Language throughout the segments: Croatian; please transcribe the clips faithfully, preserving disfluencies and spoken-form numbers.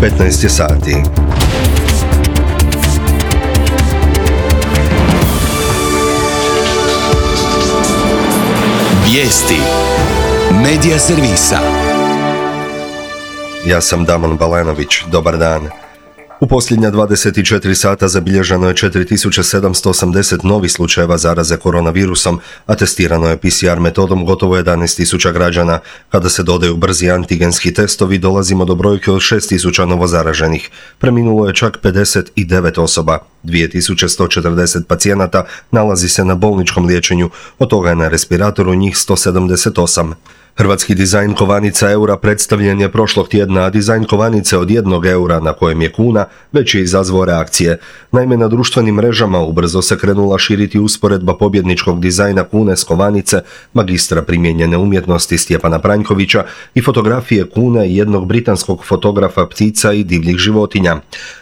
petnaest je sati. Vijesti Medija servisa. Ja sam Damon Balenović, dobar dan. U posljednja dvadeset četiri sata zabilježeno je četiri tisuće sedamsto osamdeset novih slučajeva zaraze koronavirusom, a testirano je P C R metodom gotovo jedanaest tisuća građana. Kada se dodaju brzi antigenski testovi, dolazimo do brojke od šest tisuća novozaraženih. Preminulo je čak pedeset devet osoba. dvije tisuće sto četrdeset pacijenata nalazi se na bolničkom liječenju, od toga je na respiratoru njih sto sedamdeset osam. Hrvatski dizajn kovanica eura predstavljen je prošlog tjedna, a dizajn kovanice od jednog eura na kojem je kuna već je izazvao reakcije. Naime, na društvenim mrežama ubrzo se krenula širiti usporedba pobjedničkog dizajna kune s kovanice magistra primijenjene umjetnosti Stjepana Pranjkovića i fotografije kune jednog britanskog fotografa ptica i divljih životinja.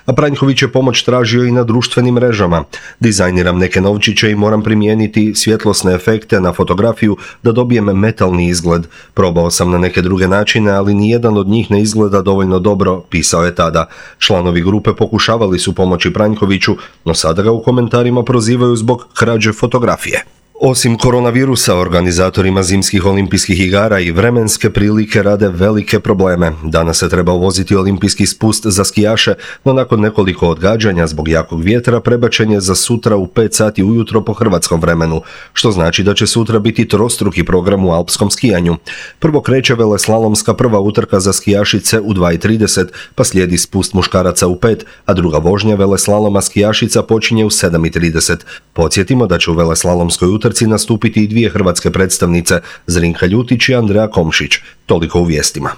A Pranjković je pomoć tražio i na društvenim mrežama. Dizajniram neke novčiće i moram primijeniti svjetlosne efekte na fotografiju da dobijem metalni izgled. Probao sam na neke druge načine, ali nijedan od njih ne izgleda dovoljno dobro, pisao je tada. Članovi grupe pokušavali su pomoći Pranjkoviću, no sada ga u komentarima prozivaju zbog krađe fotografije. Osim koronavirusa, organizatorima zimskih olimpijskih igara i vremenske prilike rade velike probleme. Danas se treba uvoziti olimpijski spust za skijaše, no nakon nekoliko odgađanja zbog jakog vjetra prebačen je za sutra u pet sati ujutro po hrvatskom vremenu, što znači da će sutra biti trostruki program u alpskom skijanju. Prvo kreće veleslalomska prva utrka za skijašice u dva i trideset, pa slijedi spust muškaraca u pet, a druga vožnja veleslaloma skijašica počinje u sedam i trideset. Podsjetimo da će u veleslalomskoj utrci nastupiti i dvije hrvatske predstavnice, Zrinka Ljutić i Andreja Komšić. Toliko u vijestima.